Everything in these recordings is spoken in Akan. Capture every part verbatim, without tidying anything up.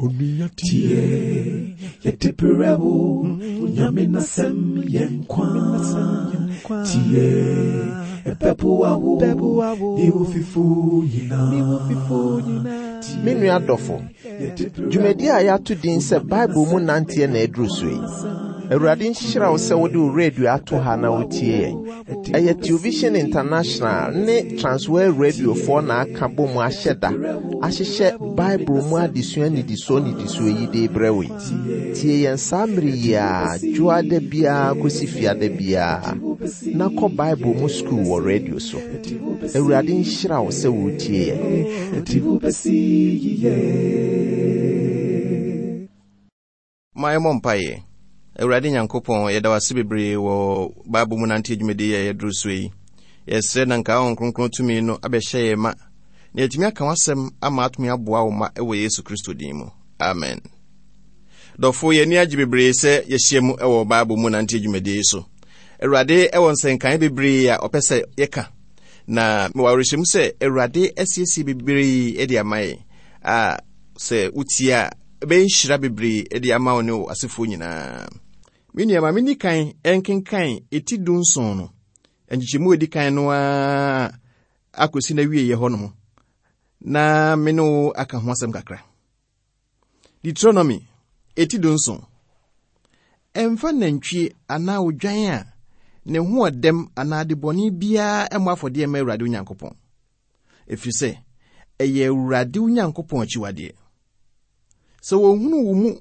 Tie, yɛde brɛ wo, Nyame n'asɛm yɛ nkwa. Tie, ɛbɛboa wo, ne wo fifo nyinaa. Me nua dɔfo, dwumadi a yɛato din sɛ Bible mu nanteɛ na aduru so yi. Awurade nhyira wo sɛ wode wo radio ato ha na wotie yɛn. Ɛyɛ Television International ne Transworld Radiofoɔ na aka bɔ mu ahyɛ da ahyehyɛ Bible mu adesua nnidisoɔ nnidisoɔ yi de brɛ wo yi. Tie yɛn saa mmere yi a dwoada biara kɔsi fiada biara na kɔ Bible mu sukuu wɔ radio so. Awurade nhyira wo sɛ wotie yɛn. Ɛde wo bɛsi yiye. Ma yɛmmɔ mpaeɛ. Awurade Nyankopɔn, yɛda wo ase bebree wɔ Bible mu nante dwumadi a yɛduru so yi. Yɛsrɛ na nka Honhom Kronkron tumi no abɛhyɛ yɛn ma, na yɛatumi aka w'asɛm ama atumi aboa wo ma wɔ Yesu Kristo din mu. Amen. Dɔfo, yɛn ani agye bebree sɛ yɛahyia mu wɔ Bible mu nante dwumadi yi so. Awurade wɔ nsɛnkae bebree a ɔpɛ sɛ yɛka, na mewɔ awerɛhyɛmu sɛ Awurade asiesie bebree de ama yɛn a sɛ wotie a ɛbɛyɛ nhyira bebree de ama wo ne wo asefoɔ nyinaa. Me nua, ma menni kan nkenkan eti du nson no nkyekyɛmu a edi kan no ara akɔsi n'awieeɛ hɔnom, na me ne wo aka ho asɛm kakra. Deuteronomy eti du nson. Ɛmfa nantwie anaa odwan a ne ho ɔdɛm anaa adebɔne biara mmɔ afɔdeɛ mma Awurade Onyankopɔn, ɛfiri sɛ ɛyɛ Awurade Onyankopɔn akyiwadeɛ. Sɛ wɔhunu wo mu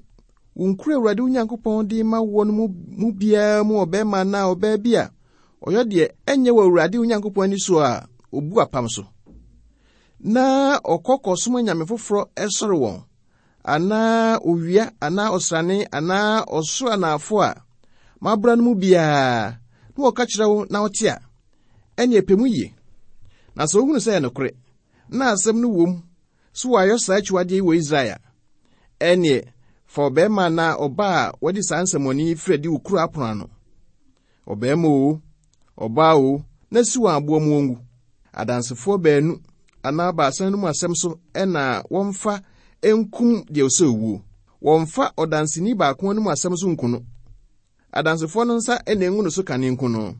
wo nkuro Awurade Onyankopɔn de ma woɔ no mu, mu biara mu ɔbarima anaa ɔbaa bi a ɔyɛ deɛ ɛnyɛ wɔ Awurade Onyankopɔn ani so a obu apam so, na ɔkɔ kɔsom anyame foforɔ ɛsɔre wɔn, anaa owia anaa ɔsrane anaa ɔsoro anaafo a mabra no mu biara, na wɔka kyerɛ wo na wote a, ɛne ɛpɛ mu yie. Na sɛ wohunu sɛ ɛyɛ nokorɛ, na asɛm no wom so wɔayɛ saa akyiwadeɛ yi wɔ Israel a, ɛneɛ fa ɔbarima anaa ɔbaa a wɔde saa nsɛmmɔne yi firi adi wo kuro apono ano. Ɔbarima o, ɔbaa o, na si wɔn aboɔ mu wɔngu. Adansefoɔ baanu anaa baasa no mu asɛm so ɛna wɔmfa nkum deɛ ɔsɛ owuo. Wɔmfa ɔdanseni baako anim asɛm so nku no. Adansefoɔ no nsa ɛna engu no so kane nku no.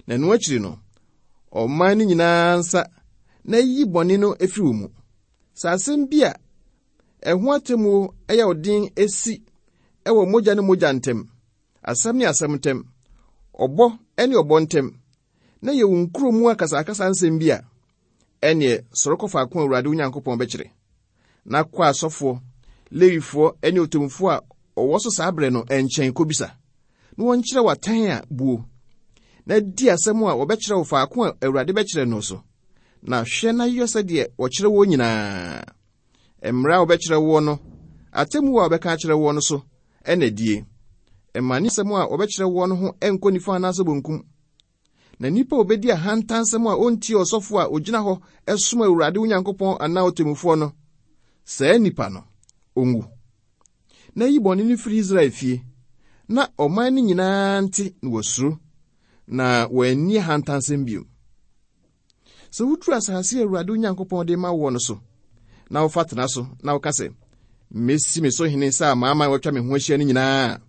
Na ɛno akyiri no, ɔman no nyinaa nsa na yi bɔne no efiri wo mu. Sɛ asɛm bi a ɛho atemmuo ɛyɛ ɔden esi ɛwɔ mogya ne mogya ntam, asɛm ne asɛm ntam, ɔbɔ ne ɔbɔ ntam, na yɛ wo nkuro mu akasakasa nsɛm bi a, ɛneɛ sɔre kɔ faako a Awurade wo Nyankopɔn bɛkyerɛ, na kɔ asɔfoɔ, Lewifoɔ ne otemmufoɔ a ɔwɔ so saa berɛ no nkyɛn kɔbisa, na wɔnkyerɛ wo atɛn a buo, na di asɛm a wɔbɛkyerɛ wo faako a Awurade bɛkyerɛ no so, na hwɛ na yɛ sɛdeɛ wɔkyerɛ woɔ nyinaa. Mmara a wɔbɛkyerɛ woɔ no, atemmuo a wɔbɛka akyerɛ woɔ no so ɛna die. Mma ne asɛm a wɔbɛkyerɛ woɔ no ho ɛnkɔ nifa anaasɛ bonkum. Na nnipa a obedi ahantansɛm a ontie ɔsɔfo a ogyina hɔ ɛsom Awurade wo Nyankopɔn anaa ɔtemmufoɔ no, saa nnipa no, onwu. Na yi bɔne no firi Israel fie, na ɔman no nyinaa nte na wɔasuro, na wɔanni ahantansɛm bio. Sɛ woduru asase a Awurade wo Nyankopɔn de ma woɔ no so, na wofa tena so, na woka sɛ, Mesi me so hene sɛ amanaman a wɔatwa me ho ahyia no nyinaa,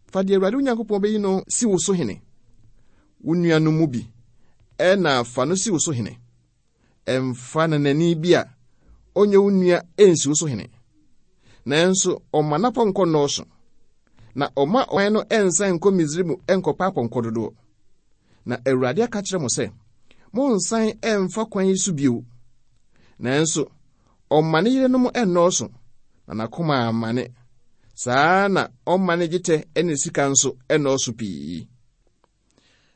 fa deɛ Awurade wo Nyankopɔn bɛyi no si wo so hene. Wo nuanom mu bi ɛna fa no si wo so hene. Ɛmfa nanani bi a ɔnyɛ wo nua ɛnsi wo so hene. Nanso ɔma n'apɔnkɔ nnɔɔso, na ɔma ɔman no ɛnsan nkɔ Misraim ɛnkɔpa apɔnkɔ dodoɔ. Na Awurade aka kyerɛ mo sɛ, monsan ɛmfa kwan yi so bio. Nanso ɔma ne yerenom ɛnnɔɔso, na n'akoma amane. Saa na ɔma ne dwetɛ ne sika nso ɛnnɔɔso pii.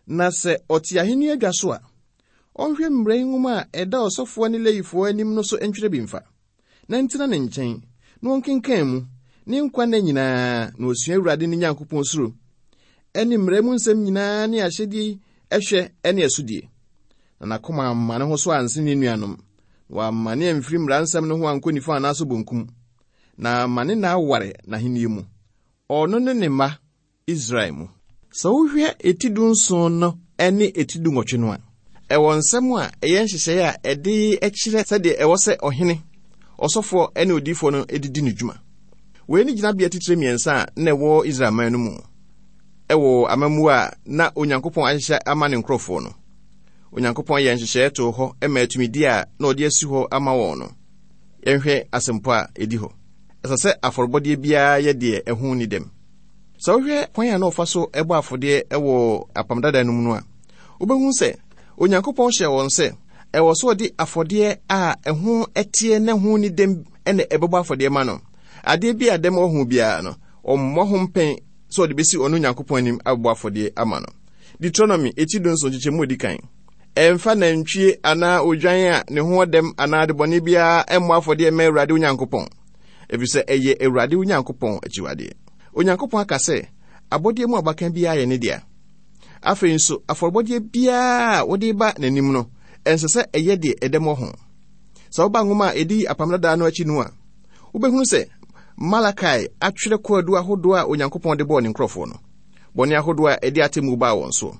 Na sɛ ɔte ahenni adwa so a, ɔnhwɛ mmara nwoma a ɛda ɔsɔfoɔ ne Lewifoɔ anim no so ntwerɛ bi mfa, na ntena ne nkyɛn, na ɔnkenkan mu, ne nkwa nna nyinaa, na osua Awurade ne Nyankopɔn suro, ɛne mmara mu nsɛm nyinaa ne ahyɛdeɛ yi ɛhwɛ ne ɛsodie. Na n'akoma amma ne ho so anse ne nuanom, na wamma ne amfiri mmara nsɛm no ho ankɔ nifa anaasɛ bonkum, na ama ne nna aware n'ahenni mu, ɔno ne ne mma Israel mu. Sɛ wohwɛ eti du nson no ne eti du nwɔtwe no a, ɛwɔ nsɛm a ɛyɛ nhyehyɛeɛ a ɛde kyerɛ sɛdeɛ ɛwɔ sɛ ɔhene, ɔsɔfoɔ ne odiyifoɔ no didi ne dwuma. Wei ne gyinabea titire mmiɛnsa a na ɛwɔ Israel man no mu ɛwɔ amammuo a na Onyankopɔn ahyehyɛ ama ne nkurɔfoɔ no. Onyankopɔn yɛ nhyehyɛeɛ too hɔ ma atumidie a na ɔde asi hɔ ama wɔn no. Yɛnhwɛ asɛmpɔ a ɛdi hɔ. Ɛsɛ sɛ afɔrebɔdeɛ biara yɛ deɛ ɛho nni dɛm. Sɛ wohwɛ kwan a na ɔfa so ɛbɔ afɔdeɛ ɛwɔ apam dada no mu no a, wobɛhu sɛ Onyankopɔn hyɛɛ wɔn sɛ ɛwɔ sɛ ɔde afɔdeɛ a ɛho ɛteɛ na ɛho nni dɛm ɛna ɛbɛbɔ afɔdeɛ ma no. Adeɛ bi a dɛm wɔ ho biara no, ɔmmɔ ho mpɛn sɛ ɔde bɛsi ɔno Onyankopɔn anim abɔ afɔdeɛ ama no. Deuteronomy eti dunson nkyekyɛmu edi kan. Ɛmfa nantwie anaa odwan a ne ho ɔdɛm anaa adebɔne biara ɛmmɔ afɔdeɛ mma Awurade Onyankopɔn, efisɛ ɛyɛ Awurade Onyankopɔn akyiwadeɛ. Onyankopɔn aka sɛ abɔdeɛ mu abakan biara yɛ ne dea. Afei nso afɔrebɔdeɛ biara a wode ba n'anim no, ɛnsɛ sɛ ɛyɛ deɛ ɛdɛm wɔ ho. Sɛ woba nwoma a ɛdi apam dadaa no akyi no a, wobɛhunu sɛ Malakai atwerɛ kwaadu ahodoɔ a Onyankopɔn de bɔɔ ne nkurɔfoɔ no, bɔne ahodoɔ a ɛde atemmuo baa wɔn soɔ.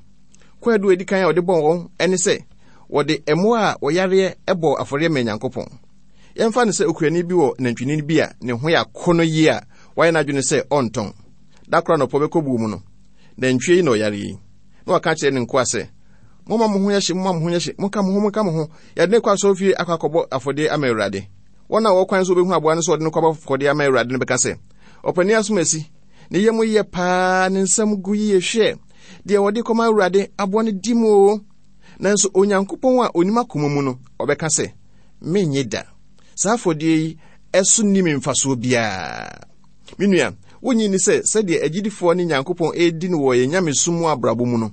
Kwaadu a ɛdi kan a ɔde bɔɔ wɔn ne sɛ wɔde mmoa a wɔyareɛ bɔɔ afɔreɛ maa Nyankopɔn. Yɛmfa no sɛ okuani bi wɔ nantwinini bi a ne ho yɛ akɔnnɔ yie a wayɛ n'adwene sɛ ɔntɔn. Da koro anɔpa bɛkɔ buo mu no, nantwie yi na ɔyare yi. Na waka kyerɛ ne nkoa sɛ, momma mo ho nyɛ hye, momma mo ho nyɛ hye, monka mo ho, monka mo ho. Yɛde no kɔ asɔrefie akɔ akɔbɔ afɔdeɛ ama Awurade. Wɔn a wɔwɔ kwan so wɔbɛhu aboa no sɛ ɔde no kɔbɔ afɔdeɛ ama Awurade no bɛka sɛ, ɔpanin asomasi, ne yam yɛ paa, ne nsam gu yie, hwɛ deɛ wɔde kɔma Awurade, aboa no di mu o. Nanso Onyankopɔn a onim akoma mu no, ɔbɛka sɛ, mennye da. Saa afɔdeɛ yi ɛso nni me mfasoɔ biara. Me nua, wonnye nni sɛ sɛdeɛ agyidifoɔ ne Nyankopɔn redi no wɔ yɛn nyamesom mu abrabɔ mu no,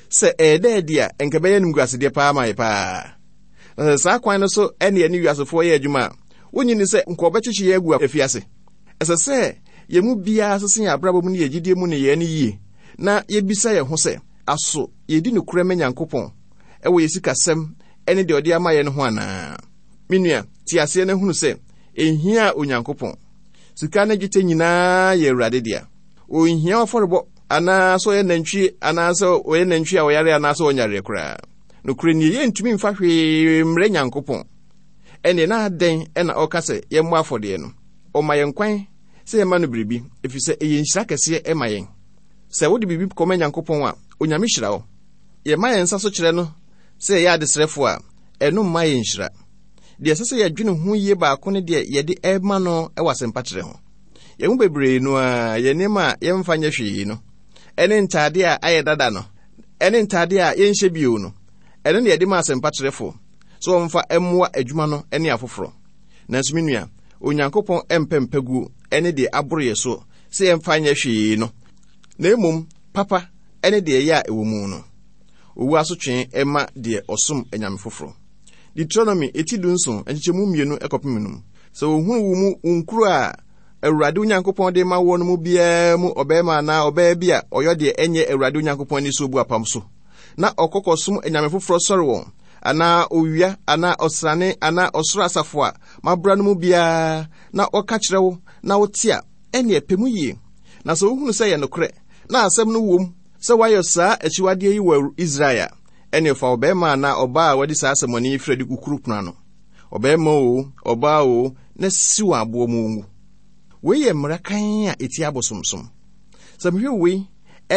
sɛ ɛyɛ dɛ adi a, ɛnka ɛbɛyɛ animguasedeɛ paa ma yɛ paa. Na sɛ saa kwan no so ɛne yɛne wiasefoɔ yɛ adwuma a, wonnye nni sɛ nka ɔbɛkyekye yɛn agu afiase. Ɛsɛ sɛ yɛn mu biara sese yɛn abrabɔ mu ne yɛn gyidie mu nneyɛɛ no yie, na yɛbisa yɛn ho sɛ, aso yɛdi nokorɛ ma Nyankopɔn ɛwɔ yɛn sikasɛm ɛne deɛ ɔde ama yɛn no ho anaa? Me nua, te aseɛ na hunu sɛ ɛnhia Onyankopɔn. Sika ne dwetɛ nyinaa yɛ Awurade dea. Ɔnhia afɔrebɔ anaa sɛ ɔyɛ nantwie anaa sɛ ɔyɛ nantwie a ɔyare anaa sɛ ɔnyareɛ koraa. Nokorɛ nie, yɛntumi mfa hwee mmrɛ Nyankopɔn. Ɛnneɛ na adɛn ɛna ɔka sɛ yɛmmɔ afɔdeɛ no? Ɔma yɛn kwan sɛ yɛma no biribi, ɛfiri sɛ ɛyɛ nhyira kɛseɛ ɛma yɛn. Sɛ wode biribi kɔma Nyankopɔn a, Onyame hyira wo. Yɛma yɛn nsa so kyerɛ no sɛ yɛyɛ adesrɛfoɔ a, ɛno mma yɛn nhyira. Deɛ ɛsɛ sɛ yɛdwene ho yie baako ne deɛ yɛde ɛma no ɛwɔ asɛmpatrɛ ho. Yɛn mu bebree no a, yɛn nneɛma a yɛmfa nyɛ hwee no, ɛne ntadeɛ a ayɛ dada no, ɛne ntadeɛ a yɛnhyɛ bio no, ɛno ne yɛde ma asɛmpatrɛfoɔ sɛ wɔmfa mmoa adwuma no ne afoforɔ. Nanso me nua, Onyankopɔn mpɛ mpaguo ne deɛ aboro yɛ soɔ sɛ yɛmfa nyɛ hwee no, na mmom papa ne deɛ ɛyɛ a ɛwɔ mu no. Owu asotwe ma deɛ ɔsom anyame foforɔ. Deuteronomy eti dunson nkyekyɛmu mmienu kɔpem num. Sɛ wohunu wo mu wo nkuro a Awurade Onyankopɔn de ma woɔ no mu biara mu ɔbarima anaa ɔbaa bi a ɔyɔ deɛ ɛnyɛ Awurade Onyankopɔn ani so bu apam so, na ɔkɔ kɔsom anyame foforɔ sɔre wɔn, anaa owia anaa ɔsrane anaa ɔsoro asafo a mabra no mu biara, na ɔka kyerɛ wo na wote a, ɛnneɛ pɛ mu yie. Na sɛ wohunu sɛ ɛyɛ nokorɛ na asɛm no wom sɛ woayɛ saa akyiwadeɛ yi wɔ Israel a, ɛnneɛ fa ɔbarima anaa ɔbaa a wadi saa asɛmmɔne yi firi adi kɔ kuro pono ano, ɔbarima o, ɔbaa o, na si wɔn aboɔ mu ngu. Wei yɛ mmara kann a ɛtia abosomsom. Sɛ mehwɛ wei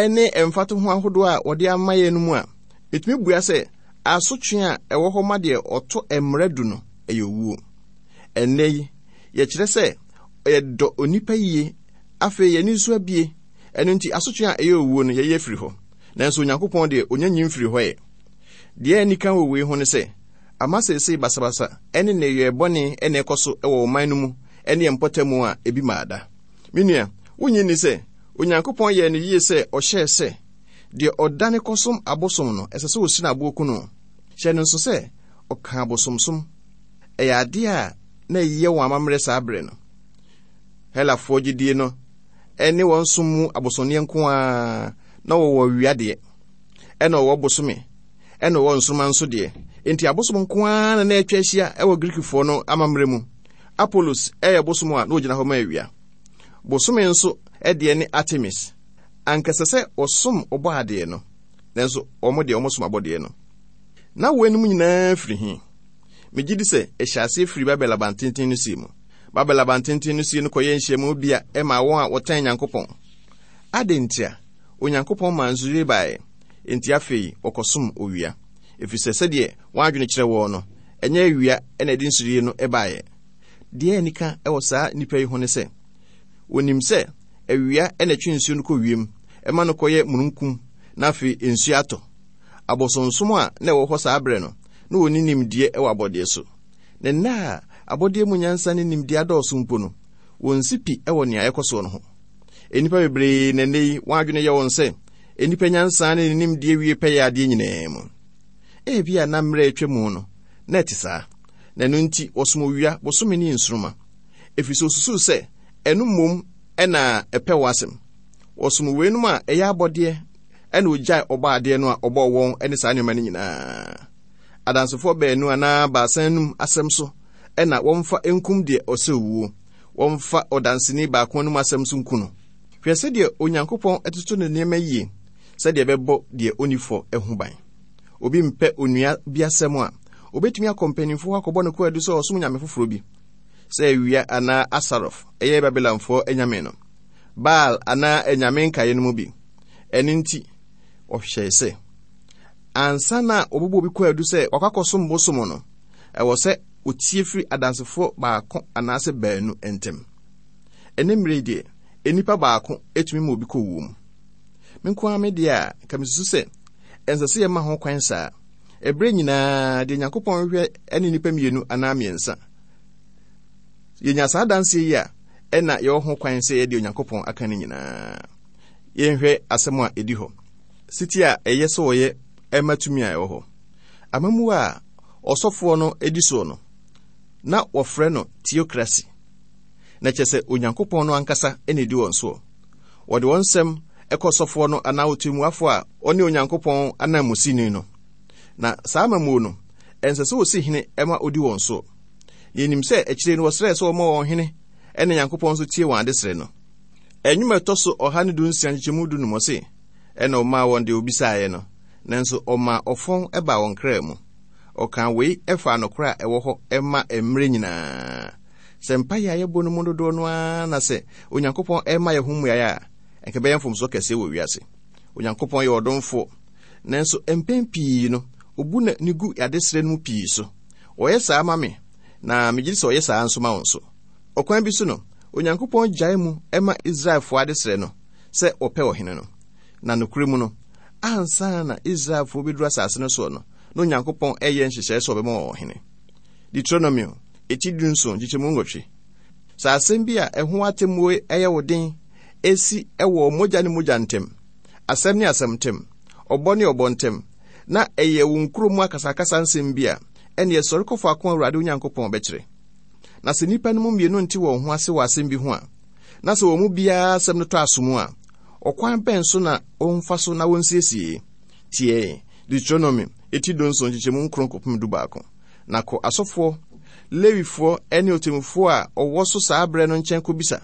ne mfatoho ahodoɔ a wɔde ama yɛn no mu a, metumi bua sɛ asotwe a ɛwɔ hɔ ma deɛ ɔto mmara du no ɛyɛ owuo. Ɛnnɛ yi, yɛkyerɛ sɛ yɛdɔ onipa yie, afei yɛn ani nso abie, ɛno nti asotwe a ɛyɛ owuo no yɛyɛ firi hɔ. Nanso Onyankopɔn deɛ ɔnya nyi mfiri hɔ ɛ. Deɛ ani ka wɔ wei ho ne sɛ, ama seesei basabasa ne nneyɔɛ bɔne na ɛkɔ so wɔ ɔman no mu ne yɛn mpɔtam a ebi maa da. Me nua, wonnye nni sɛ Onyankopɔn yɛɛ no yie sɛ ɔhyɛɛ sɛ deɛ ɔdane kɔsom abosom no, ɛsɛ sɛ ɔsi no aboɔ ku no? Hyɛ no nso sɛ ɔka abosomsom. Ɛyɛ adeɛ a na ɛyɛ wɔn amammerɛ saa berɛ no. Helafoɔ gyidie no ɛne wɔn som mu abosonneɛ nko ara na wɔwɔ awia deɛ, ɛna wɔwɔ bosome, ɛna wɔwɔ nsoromma nso deɛ. Enti abosom nko ara na na atwa ahyia ɛwɔ Greekfoɔ no amammerɛ mu. Apollos ɛyɛ bosom a na ogyina hɔ ma awia. Bosome nso ɛdeɛ ne Artemis. Anka ɛsɛ sɛ wɔsom ɔbɔadeɛ no, nanso wɔn deɛ wɔsom abɔdeɛ no. Na wɔn anim nyinaa firi he? Megye di sɛ ɛhyɛ aseɛ firi Babel abantenten no sie mu. Babel abantenten no sie no kɔyɛ nhyiamu bi a ɛma wɔn a wɔtɛn Nyankopɔn. Adɛn ntia? Onyankopɔn maa nsuyiri baeɛ, enti afei wɔkɔsom owia. Ɛfiri sɛ sɛdeɛ wɔn adwene kyerɛ wɔn no, ɛnyɛ awia na ɛde nsuyiri no baeɛ. Deɛ anika wɔ saa nnipa yi ho ne sɛ, wɔnim sɛ awia na ɛtwe nsuo no kɔ wiem, ɛma no kɔyɛ mununkum, na afei nsuo atɔ. Abosonsom a na ɛwɔ hɔ saa berɛ no, na wɔnni nimdeɛ wɔ abɔdeɛ so. Na nna a abɔdeɛ mu nyansa ne nimdeɛ adɔɔso mpo no, wɔnsi pi wɔ nea ɛkɔ soɔ no ho. Nnipa bebree na nnɛ yi wɔn adwene yɛ wɔn sɛ nnipa nyansa ne ne nimdeɛ wie pɛyɛ adeɛ nyinaa mu. Ebia na mmerɛ atwa mu no, na ɛte saa. Na ɛno nti wɔsom owia, bosome ne nsoromma. Ɛfiri sɛ osusuw sɛ ɛno mmom ɛna ɛpɛ wɔ asɛm. Wɔsom weinom a ɛyɛ abɔdeɛ ɛna ogyae ɔbɔ adeɛ no a ɔbɔɔ wɔn ne saa nneɛma no nyinaa. Adansefoɔ baanu anaa baasa anum asɛm so ɛna wɔmfa nkum deɛ ɔsɛ owuo. Wɔmfa ɔdanseni baako anum asɛm so nku no. Hwɛ sɛdeɛ Onyankopɔn ɛtoto ne nneɛma yie sɛdeɛ ɛbɛbɔ deɛ onni fɔ ho ban. Obi mpɛ onua bi asɛm a, obetumi akɔ mpanimfoɔ hɔ akɔbɔ no kwaadu sɛ ɔsom nyame foforɔ bi. Sɛ awia anaa Asarof, ɛyɛ Babilonfoɔ anyame no, Baal anaa anyame nkaeɛ no mu bi. Ɛno nti, ɔhyɛe sɛ, ansa na wɔbɛbɔ obi kwaadu sɛ wakɔ akɔsom bosom no, ɛwɔ sɛ otie firi adansefoɔ baako anaasɛ baanu ntam. Ɛne mmerɛ yi deɛ, nnipa baako etumi ma obi kɔ wuo mu. Me nko ara me deɛ a, nka mesusu sɛ ɛnsɛ sɛ yɛma ho kwan saa. Ɛberɛ nyinaa deɛ Nyankopɔn hwehwɛ ne nnipa mmienu anaa mmiɛnsa. Yɛnya saa adanseɛ yi a, ɛna yɛwɔ ho kwan sɛ yɛde Onyankopɔn aka no nyinaa. Yɛnhwɛ asɛm a ɛdi hɔ. Siti a ɛyɛ sɛ wɔyɛ ɛma tumi a ɛwɔ hɔ. Amammuo a ɔsɔfoɔ no di soɔ no, na wɔfrɛ no theocracy. Na kyerɛ sɛ Onyankopɔn no ankasa na ɛdi wɔn soɔ. Wɔde wɔn nsɛm ɛkɔ sɔfoɔ no anaa ɔtemmuafoɔ a ɔne Onyankopɔn ananmusini no. Na saa amammuo no, ɛnsɛ sɛ wɔsi hene ɛma ɔdi wɔn soɔ. Yɛnim sɛ akyire no wɔsrɛɛ sɛ wɔma wɔn hene ɛna Nyankopɔn nso tie wɔn adesrɛ no. Ɛnwom a ɛtɔ so ɔha ne du nsia nkyekyɛmu du num ɔse, ɛna ɔmaa wɔn deɛ obisaeɛ no, nanso ɔmaa ɔfɔn ɛbaa wɔn kra mu. Ɔkaa wei ɛfaa nokorɛ a ɛwɔ hɔ ɛma mmerɛ nyinaa. Sɛ mpaeɛ a yɛbɔ no mu dodoɔ no ara na sɛ Onyankopɔn ɛma yɛn ho mmuaeɛ a, ɛnka ɛbɛyɛ mfomsoɔ kɛseɛ wɔ wiase. Onyankopɔn yɛ ɔdomfoɔ, nanso mpɛn pii no, obu n'ani gu adesrɛ no mu pii so. Ɔyɛ saa ma me, na megye di sɛ ɔyɛ saa nso ma wo nso. Ɔkwan bi so no, Onyankopɔn gyae mu ɛma Israelfoɔ adesrɛ no sɛ wɔpɛ ɔhene no. Na nokorɛ mu no, ansa na Israelfoɔ bɛduru asase no soɔ no, na Onyankopɔn ɛyɛ nhyehyɛe sɛ ɔbɛma wɔn ɔhene. Deuteronomio, eti dunson, nkyekyɛmu nwɔtwe. Sɛ asɛm bi a ɛho atemmuo ɛyɛ wo den esi ɛwɔ mogya ne mogya ntam, asɛm ne asɛm ntam, ɔbɔ ne ɔbɔ ntam, na ɛyɛ wo nkuro mu akasakasa nsɛm bi a, ɛneɛ sɔre kɔ faako a Awurade Onyankopɔn bɛkyerɛ. Na sɛ nnipa no mu mmienu nte wɔn ho ase wɔ asɛm bi ho a, na sɛ wɔn mu biara asɛm no tɔ aso mu a, ɔkwan bɛn so na wɔmfa so na wɔnsiesie? Tie Deuteronomy eti dunson nkyekyɛmu nkron kɔpem du baako. Na kɔ asɔfoɔ, Lewifoɔ ne ɔtemmufoɔ a ɔwɔ so saa berɛ no nkyɛn kɔbisa,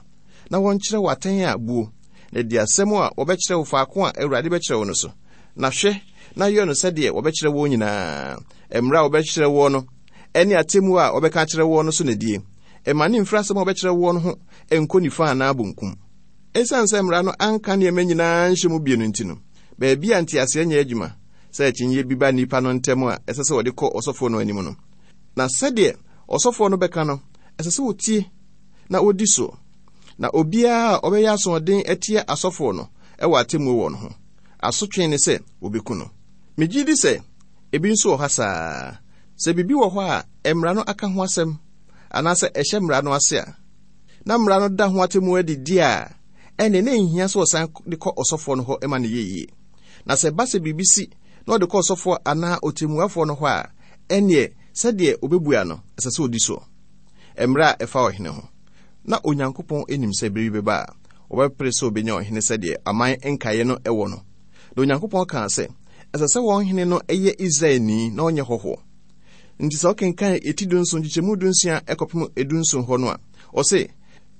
na wɔnkyerɛ wo atɛn a buo, na di asɛm a wɔbɛkyerɛ wo faako a Awurade bɛkyerɛ wo no so. Na hwɛ, na yɛ no sɛdeɛ wɔbɛkyerɛ wo nyinaa. Mmerɛ a wɔbɛkyerɛ woɔ no, ɛne atemmuo a wɔbɛka akyerɛ woɔ no so na die. Ɛma ne mfiri asɛm a wɔbɛkyerɛ woɔ no ho nkɔ nifa anaa bonkum. Ɛsiane sɛ mmara no anka nneɛma nyinaa nhyɛ mu bio no nti no, baabi a nteaseɛ nyɛ adwuma sɛ akyinnyeɛ bi ba nnipa no ntam a ɛsɛ sɛ wɔde kɔ ɔsɔfoɔ no anim no. Na sɛdeɛ ɔsɔfoɔ no bɛka no, ɛsɛ sɛ wɔtie na wɔdi soɔ. Na obiara a ɔbɛyɛ asoɔden atia asɔfoɔ no ɛwɔ atemmuo wɔ no ho. Asotwe ne sɛ wɔbɛku no. Megye di sɛ ebi nso wɔ ha saa. Sɛ biribi wɔ hɔ a mmara no aka ho asɛm anaasɛ ɛhyɛ mmara no ase a, na mmara no da ho atemmuo adi di a, ɛnneɛ na nhia sɛ ɔsan de kɔ ɔsɔfoɔ no hɔ ma no yɛ yie. Na sɛ ɛba sɛ biribi si na ɔde kɔ ɔsɔfoɔ anaa ɔtemmuafoɔ no hɔ a, ɛnneɛ sɛdeɛ ɔbɛbua no, ɛsɛ sɛ ɔdi soɔ. Mmerɛ a ɛfa ɔhene ho. Na Onyankopɔn anim sɛ bere bi bɛba a, wɔbɛpere sɛ ɔbɛnya ɔhene sɛdeɛ aman nkaeɛ no ɛwɔ no. Na Onyankopɔn kaa sɛ, ɛsɛ sɛ wɔn hene no ɛyɛ Israelni na ɔnyɛ hɔhoɔ. Nti sɛ ɔkenkan eti dunson nkyekyɛmu dunsia ɛkɔpem edunson hɔ no a, ɔse,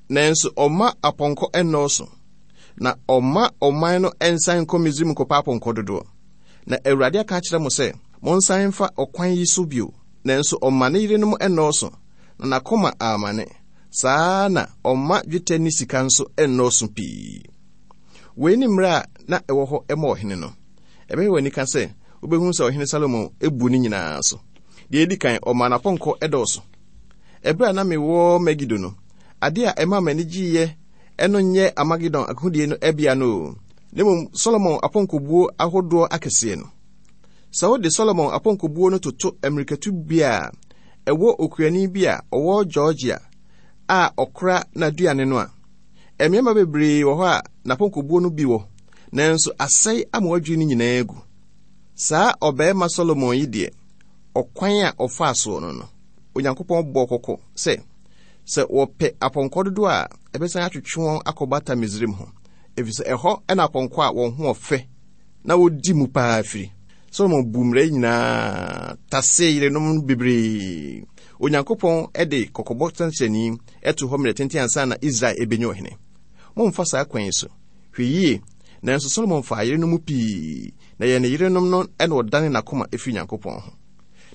nanso ɔma apɔnkɔ ɛnnɔɔso, na ɔma ɔman no ɛnsan nkɔ Misraim nkɔpa apɔnkɔ dodoɔ. Na Awurade aka akyerɛ mo sɛ, monsan mfa ɔkwan yi so bio. Nanso ɔma ne yerenom ɛnnɔɔso, na n'akoma amane, Saa na ɔmma dwetɛ ne sika nso nnɔɔso pii. Wei ne mmerɛ a na ɛwɔ hɔ ma ɔhene no. Ɛbɛyɛ w'ani ka sɛ wobɛhu sɛ ɔhene Salomo ebu ne nyinaa so. Deɛ edi kan, ɔmaa n'apɔnkɔ ɛdɔɔso. Ɛberɛ a na mewɔ Megido no, ade a ɛma m'ani gyeeɛ ɛno nyɛ Amagedon akodie no ɛbea no o. Na mmom Solomon apɔnkɔbuo ahodoɔ akɛseɛ no. Sɛ wode Solomon apɔnkɔbuo no toto mmirikatu bi a ɛwɔ okuani bi a ɔwɔ Georgia a ɔkora n'aduane no a, mmarima bebree wɔ hɔ a n'apɔnkɔbuo no bi wɔ, nanso asɛe ama wadwiri no nyinaa agu. Saa ɔbarima Solomon yi deɛ, ɔkwan a ɔfaa soɔ no no, Onyankopɔn bɔɔ kɔkɔ sɛ, sɛ wɔpɛ apɔnkɔ dodoɔ a, ɛbɛsan atwetwe wɔn akɔbata Misraim ho, efisɛ ɛhɔ ɛna apɔnkɔ a wɔn ho ɔfɛ na wodi mu paa firi. Solomon bu mmara yi nyinaa tase yerenom bebree. Onyankopɔn de kɔkɔbɔ sɛnkyerɛnni ɛto hɔ mmerɛ tenten ansa na Israel ebenya ɔhene. Momfa saa kwan yi so. Hwɛ yie, nanso Solomon faa yerenom mu pii, na yɛn ne yerenom no ɛna ɔdane n'akoma efiri Nyankopɔn ho.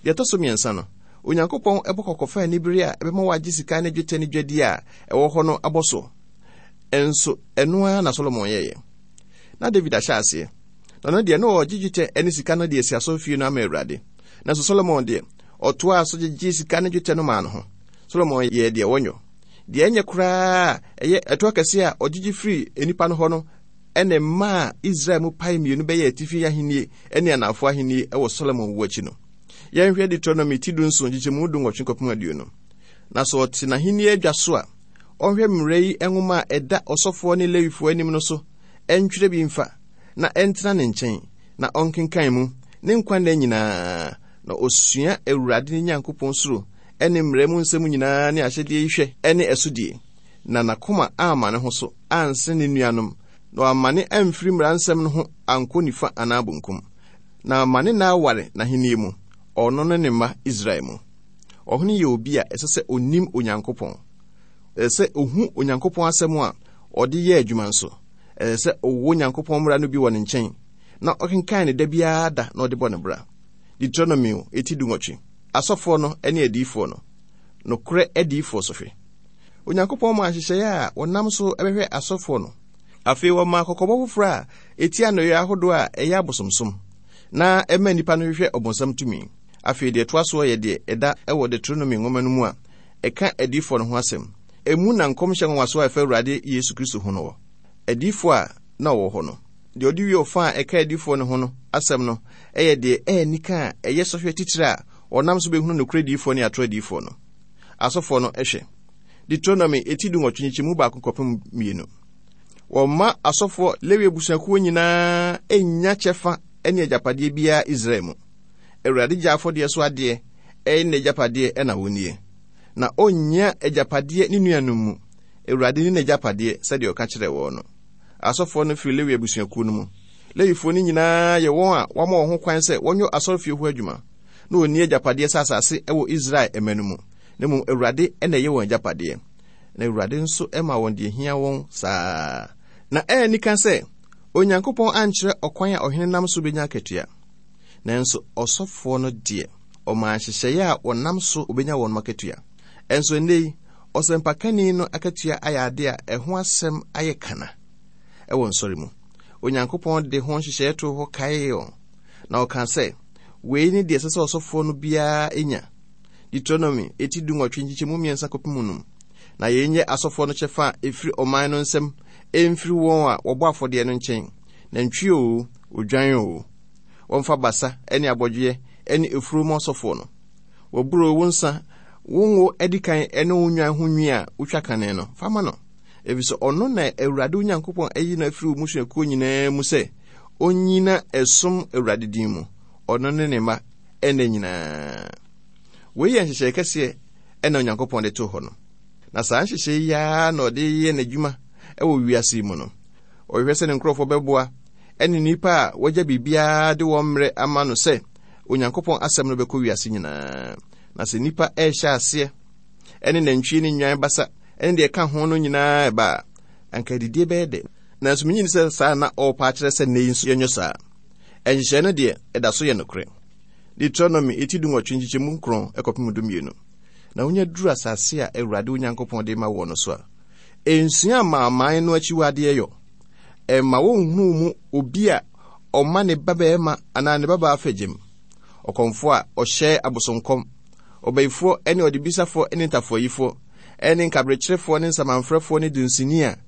Deɛ ɛtɔ so mmiɛnsa no, Onyankopɔn ɛbɔ kɔkɔ fa anibere a ɛbɛma wagye sika ne dwetɛ ne dwadie a ɛwɔ hɔ no abɔ so. Ɛnso ɛno ara na Solomon yɛeɛ. Na David ahyɛ aseɛ. Na ɔno deɛ na ɔgye dwetɛ ne sika no de asi asɔrefie no ama Awurade. Nanso Solomon deɛ, ɔtoaa so gyegye sika ne dwetɛ no maa no ho. Solomon yɛɛ deɛ wɔnyɔ. Deɛ ɛnyɛ koraa ɛyɛ ɛtoɔ kɛseɛ a ɔgyegye firi nnipa no hɔ no ɛna mmaa Israel mu pae mmienu bɛyɛ atifi ahennie ne anafoɔ ahennie ɛwɔ Solomon wu akyi no. Yɛnhwɛ Deuteronomy ti du nson nkyekyɛmu du nwɔtwe kɔpem aduonu. Na sɛ ɔte n'ahennie adwa so a, ɔnhwɛ mmara yi nwoma a ɛda ɔsɔfoɔ ne Lewifoɔ anim no so, ɛntwerɛ bi mfa, na ɛntena ne nkyɛn, na ɔnkenkan mu ne nkwa nna nyinaa, na osua Awurade ne Nyankopɔn suro ɛne mmara mu nsɛm nyinaa ne ahyɛdeɛ yi hwɛ ɛne ɛsodie, na n'akoma amma ne ho so anse ne nuanom, na wamma ne amfiri mmara nsɛm no ho ankɔ nifa anaa bonkum, na ama ne nna aware n'ahennie mu, ɔno ne ne mma Israel mu. Ɔhene yɛ obi a ɛsɛ sɛ onim Onyankopɔn. Ɛsɛ sɛ ohu Onyankopɔn asɛm a ɔde yɛ adwuma nso. Ɛsɛ sɛ ɔwɔ Onyankopɔn mmara no bi wɔ ne nkyɛn, na ɔkenkan ne da biara da na ɔde bɔ ne bra. Deuteronomy eti du nwɔtwe. Asɔfoɔ no ne adiyifoɔ no. Nokorɛ adiyifoɔ sohwɛ. Onyankopɔn maa nhyehyɛeɛ a wɔnam so bɛhwɛ asɔfoɔ no. Afei wɔmaa kɔkɔbɔ foforɔ a ɛtia nnɔyɛ ahodoɔ a ɛyɛ abosomsom, na ɛma nnipa no hwehwɛ ɔbonsam tumi. Afei deɛ ɛtoa soɔ yɛ deɛ ɛda ɛwɔ Deuteronomy nwoma no mu a ɛka adiyifoɔ no ho asɛm. Emu na nkɔmhyɛ nwanwasoɔ a ɛfa Awurade Yesu Kristo ho no wɔ. Adiyifoɔ a na ɔwɔ hɔ no, deɛ ɔde wie ɔfa a ɛka adiyifoɔ no ho no asɛm no ɛyɛ deɛ ɛyɛ nika a ɛyɛ sɔhwɛ titire a ɔnam so bɛhunu nokorɛ adiyifoɔ ne atorɔ adiyifoɔ no. Asɔfoɔ no hwɛ. Deuteronomy eti du nwɔtwe nkyekyɛmu baako kɔpem mmienu. Wɔmma asɔfoɔ Lewi abusuakuo nyinaa nnya kyɛfa ne agyapadeɛ biara Israel mu. Awurade gya afɔdeɛ so adeɛ ɛyɛ n'agyapadeɛ ɛna wɔnnie. Na ɔnnya agyapadeɛ ne nuanom mu. Awurade ne n'agyapadeɛ sɛdeɛ ɔka kyerɛɛ wɔn no. Asɔfoɔ no firi Lewi abusuakuo no mu. Lewifoɔ no nyinaa yɛ wɔn a wɔama wɔn ho kwan sɛ wɔnyɛ asɔrefie hɔ adwuma, na wɔnni agyapadeɛ sɛ asase ɛwɔ Israel ɛma no mu. Na mmom Awurade ɛna ɛyɛ wɔn agyapadeɛ. Na Awurade nso ɛma wɔn deɛ hia wɔn saa. Na ɛyɛ nika sɛ Onyankopɔn ankyerɛ ɔkwan a ɔhene nam so benya akatua. Nanso ɔsɔfoɔ no deɛ, ɔmaa nhyehyɛeɛ a wɔnam so obenya wɔn akatua. Ɛnso nnɛ yi, ɔsɛmpakani no akatua ayɛ ade a ɛho asɛm ayɛ kana ɛwɔ nsɔre mu. Onyankopɔn de ho nhyehyɛeɛ too hɔ kaee wɔn. Na ɔkaa sɛ, wei ne deɛ ɛsɛ sɛ ɔsɔfoɔ no biara nya. Deuteronomy eti du nwɔtwe nkyekyɛmu mmiɛnsa kɔpem num. Na yei nyɛ asɔfoɔ no kyɛfa a ɛfiri ɔman no nsam ɛmfiri wɔn a wɔbɔ afɔdeɛ no nkyɛn. Nantwie o, odwan o. Wɔmfa basa ne abɔdweɛ ne efuro mu asɔfoɔ no. Wɔburo wo nsa, wo ngo adi kan ne wo nnwan ho nwi a wotwa kane no, fa ma no. Efisɛ ɔno na Awurade wo Nyankopɔn ayi no afiri wo mmusuakuo nyinaa mu sɛ onyina ɛsom Awurade din mu, ɔno ne ne mma ɛnna nyinaa. Wei yɛ nhyehyɛe kɛseɛ ɛna Onyankopɔn de too hɔ no. Na saa nhyehyɛe yi ara na ɔde yɛ n'adwuma ɛwɔ wiase yi mu no. Ɔhwehwɛ sɛ ne nkurɔfoɔ bɛboa ɛne nnipa a wɔagya biribiara de wɔn mmerɛ ama no sɛ Onyankopɔn asɛm no bɛkɔ wiase nyinaa. Na sɛ nnipa ɛrehyɛ aseɛ ɛne nantwie ne nnwan basa ɛne deɛ ɛka ho no nyinaa ɛba a, anka adidie bɛyɛ dɛ. Nanso menyini sɛ saa na ɔrepa akyerɛ sɛ nnɛ yi nso yɛnyɛ saa. Nhyehyɛe no deɛ ɛda so yɛ nokorɛ. Deuteronomy eti du nwɔtwe nkyekyɛmu nkron ɛkɔpem du mmienu. Na wonya duru asase a Awurade wo Nyankopɔn de ma wɔ no so a, nsua amanaman no akyiwadeɛ yɔ. Ɛmma wonhunu mu obi a ɔma ne babarima anaa ne babaa fagyem, ɔkɔmfoɔ a ɔhyɛ abosonkɔm, ɔbayifoɔ ne ɔdebisafoɔ ne ntafoayifoɔ ne nkaberekyerefoɔ ne nsamanfrɛfoɔ ne dunsini a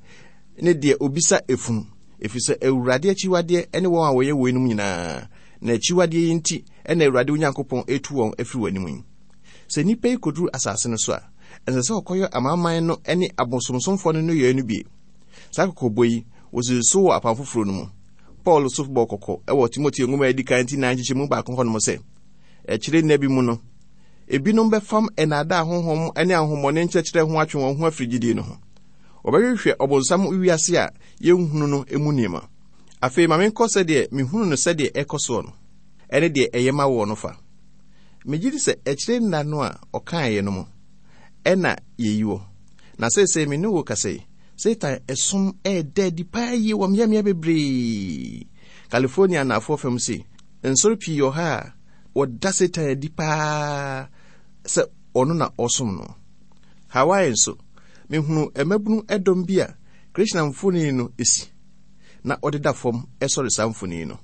ne deɛ obisa efunu, ɛfiri sɛ Awurade akyiwadeɛ ne wɔn a wɔyɛ weinom nyinaa, na akyiwadeɛ yi nti na Awurade wo Nyankopɔn etu wɔn afiri w'anim yi. Sɛ nnipa yi kɔduru asase no so a, ɛnsɛ sɛ ɔkɔyɛ amanaman no ne abosomsomfoɔ no nneyɛe no bi. Saa kɔkɔbɔ yi, wɔsisi so wɔ apam foforɔ no mu. Paul so bɔɔ kɔkɔ wɔ Timoteo nwoma a edi kan ti nan nkyekyɛmu baako hɔnom sɛ, akyire nna bi mu no, ebinom bɛfam nnaadaa honhom ne ahonhommɔne nkyerɛkyerɛ ho atwe wɔn ho afiri gyidie no ho. Wɔbɛhwehwɛ ɔbonsam wiase a yɛnhunu no mu nneɛma. Afei ma menkɔ sɛdeɛ mehunu no sɛdeɛ ɛkɔ soɔ no, ɛne deɛ ɛyɛ ma woɔ no fa. Megye di sɛ akyire nna no a ɔkaeɛ no mu ɛna yɛyi wɔ. Na seesei me ne wo kasa yi, Satan ɛsom ɛɛda adi paa yie wɔ mmeammea bebree. California anaafoɔ fam se, nsɔre pii wɔ ha a wɔda Satan adi paa sɛ ɔno na ɔsom no. Hawaii nso, mehunu mmabunu ɛdɔm bi a Krishna mfoni no esi, na ɔdeda fam ɛsɔre saa mfoni no.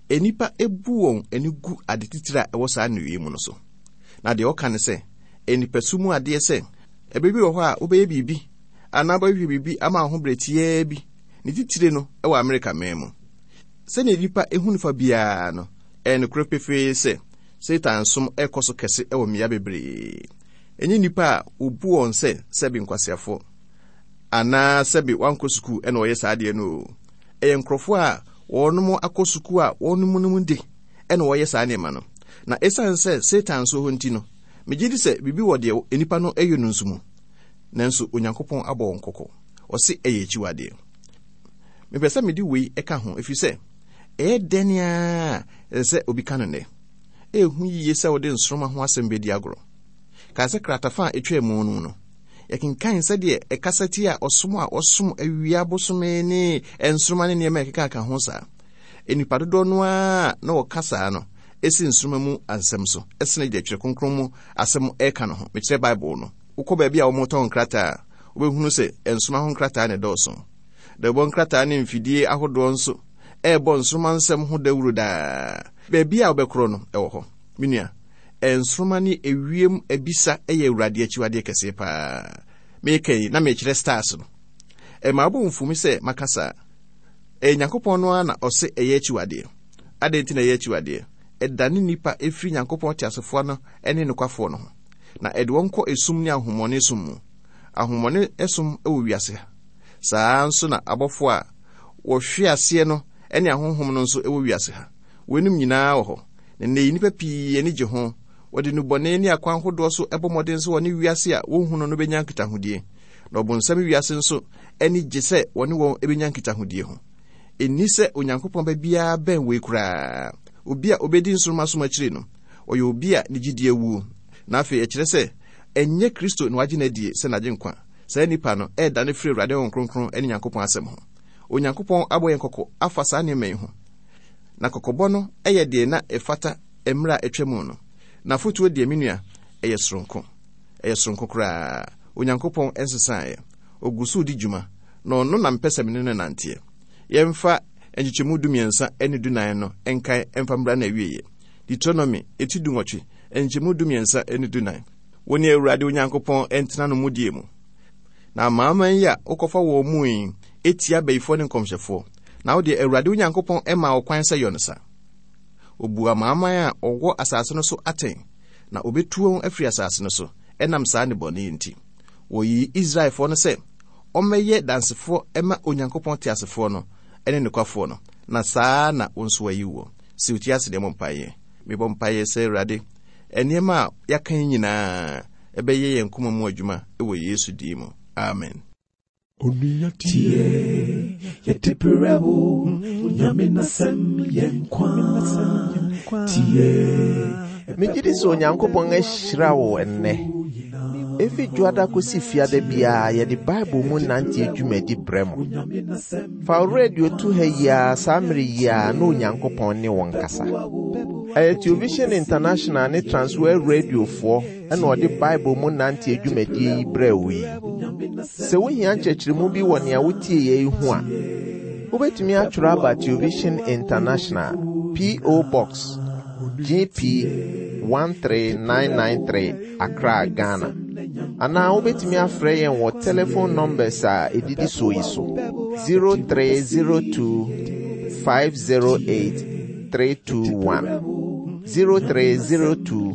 Nnipa ebu wɔn ani gu ade titire a ɛwɔ saa nnua mu no so. Na deɛ ɔka ne sɛ, nnipasu mu adeɛ sɛ, ɛbɛ bi wɔ hɔ a wobɛyɛ biribi anaa wobɛhwehwɛ biribi ama wo ho berɛ tiaa bi, ne titire no ɛwɔ Amerika man mu. Sɛnea nnipa ehu nifa biara no, ɛyɛ nokorɛ pefee sɛ Satan som ɛkɔ so kɛse ɛwɔ mmea bebree. Ɛnyɛ nnipa a wobu wɔn sɛ sɛbi nkwaseafoɔ anaa sɛbi wankɔ sukuu ɛna ɔyɛ saa adeɛ no o. Ɛyɛ nkurɔfoɔ a wɔnom akɔ sukuu a wɔnom nom de ɛna wɔyɛ saa nneɛma no. Na ɛsiane sɛ Satan nso hɔ nti no, megye di sɛ biribi wɔ deɛ nnipa no ɛyɛ no nso mu. Nanso Onyankopɔn abɔ wɔn kɔkɔ. Ɔse ɛyɛ akyiwadeɛ. Mepɛ sɛ mede wei ɛka ho, ɛfiri sɛ ɛyɛ dɛn a ɛsɛ sɛ obi ka no nnɛ. Ɛhu yie sɛ wode nsoromma ho asɛm bɛdi agorɔ. Kae sɛ kratafa a ɛtwaa mu no no, yɛkenkan sɛdeɛ ɛkasa ti a ɔsom a ɔsom awia bosome ne nsoromma ne nneɛma a ɛkeka ho saa. Nnipa dodoɔ no ara na wɔka saa no ɛsi nsoromma mu asɛm so, ɛsene deɛ Twerɛ Kronkron mu asɛm ɛka no ho. Mekyerɛ Bible no. Wokɔ baabi a wɔtɔn nkrataa a, wobɛhunu sɛ nsoromma ho nkrataa na ɛdɔɔso. Dawubɔ nkrataa ne mfidie ahodoɔ nso ɛrebɔ nsoromma nsɛm ho dawuro daa. Baabi a wobɛkorɔ no ɛwɔ hɔ. Me nua, nsoromma ne ewiem abisa ɛyɛ Awurade akyiwadeɛ kɛseɛ paa. Meka yi na mekyerɛ stars no. Ɛma wobɔ mfumi sɛ maka saa. Ɛyɛ Nyankopɔn no ara na ɔse ɛyɛ akyiwadeɛ. Adɛn nti na ɛyɛ akyiwadeɛ? Ɛdane nnipa ɛfiri Nyankopɔn teasefoɔ no ne nokwafoɔ no ho, na ɛde wɔn kɔ esum ne ahonhommɔne som mu. Ahonhommɔne som wɔ wiase ha. Saa nso na abɔfoɔ a wɔhwe aseɛ no ne ahonhom no nso wɔ wiase ha. Weinom nyinaa wɔ hɔ. Na nnɛ yi nnipa pii ani gye ho. Wɔde nnubɔne ne akwan hodoɔ so bɔ mmɔden sɛ wɔne wiase a wɔnhunu no bɛnya nkitahodie. Na ɔbonsam wiase nso ani gye sɛ wɔne wɔn bɛnya nkitahodie ho. Ɛnni sɛ Onyankopɔn ba biara bɛn wei koraa. Obi a obɛdi nsoromma som akyiri no, ɔyɛ obi a ne gyidie awuo. Na afei ɛkyerɛ sɛ ɛnyɛ Kristo na wagye no adie sɛ n'agyenkwa. Saa nnipa no ɛredane firi Awurade Honhom Kronkron ne Nyankopɔn asɛm ho. Onyankopɔn abɔ yɛn kɔkɔ afa saa nneɛma yi ho. Na kɔkɔbɔ no ɛyɛ deɛ na ɛfata mmerɛ a atwa mu no. Na afotuo deɛ, me nua, ɛyɛ soronko. Ɛyɛ soronko koraa. Onyankopɔn nsesaeɛ. Ɔgu so di dwuma, na ɔno na mpɛ sɛ me ne no nanteɛ. Yɛmfa nkyekyɛmu dumiɛnsa ne dunan no nkae mfa mmra na awieeɛ. Deuteronomy eti dunwɔtwe, nkyekyɛmu dumiɛnsa ne dunan. Wo ne Awurade Onyankopɔn ntena no mudie mu. Na amanaman yi a wokɔfa wɔn mu yi etia abayifoɔ ne nkɔmhyɛfoɔ. Na wo deɛ Awurade Onyankopɔn maa wo kwan sɛ yɔ no sa. Obu amanaman a ɔwɔ asase no so atɛn, na obetu wɔn afiri asase no so ɛnam saa nnebɔne yi nti. Wɔyii Israelfoɔ no sɛ ɔmmɛyɛ dansefoɔ ma Onyankopɔn teasefoɔ no ne nokwafoɔ no, na saa na wo nso wayi woɔ. Si wo ti ase deɛ mmɔ mpaeɛ. Mebɔ mpaeɛ sɛ Awurade, nneɛma a yɛaka yi nyinaa ɛbɛyɛ yɛn koma mu adwuma wɔ Yesu din mu. Amen. Onua tie, yɛde brɛ wo, Onyame n'asɛm yɛ nkwa. Tie, Megye di sɛ Onyankopɔn ahyira wo ɛnnɛ. Efi dwoada kosi fiada biara yɛde Bible mu nante dwumadi brɛ mo. Fa wo radio to ha yi ara saa mmere yi ara na Onyankopɔn ne wo nkasa. Ɛyɛ Television International ne Transworld Radiofoɔ ɛna ɔde Bible mu nante adwumadie yi brɛɛ wo yi. Sɛ wohia nkyerɛkyerɛmu bi wɔ nea wotie yɛ yi ho a, wobɛtumi atwerɛ aba Television International, P O. Box G P one three nine nine three, Accra, Ghana. Anaa wobɛtumi afrɛ yɛn wɔ telephone numbers a ɛdidi soɔ yi so: zero three zero two five zero eight three two one, zero three zero two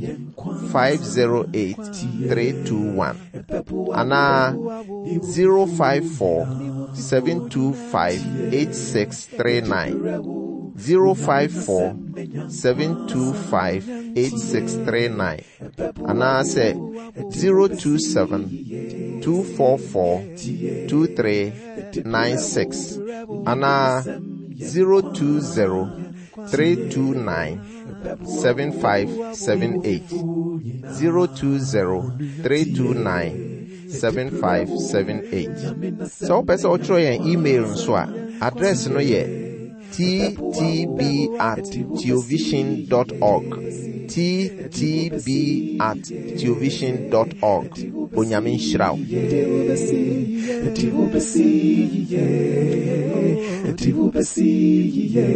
five zero eight three two one, anaa zero five four seven two five eight six three nine, zero five four seven two five eight six three nine, anaasɛ zero two seven two four four two three nine six, anaa zero two zero three two nine seven five seven eight, zero two zero three two nine seven five seven eight. Sɛ wopɛ sɛ wotwerɛ yɛn email nso a, address no yɛ T T B at theovision dot org, T T B at theovision dot org. Onyame nhyira wo. Ɛde wobɛsi yie, ɛde wobɛsi yie.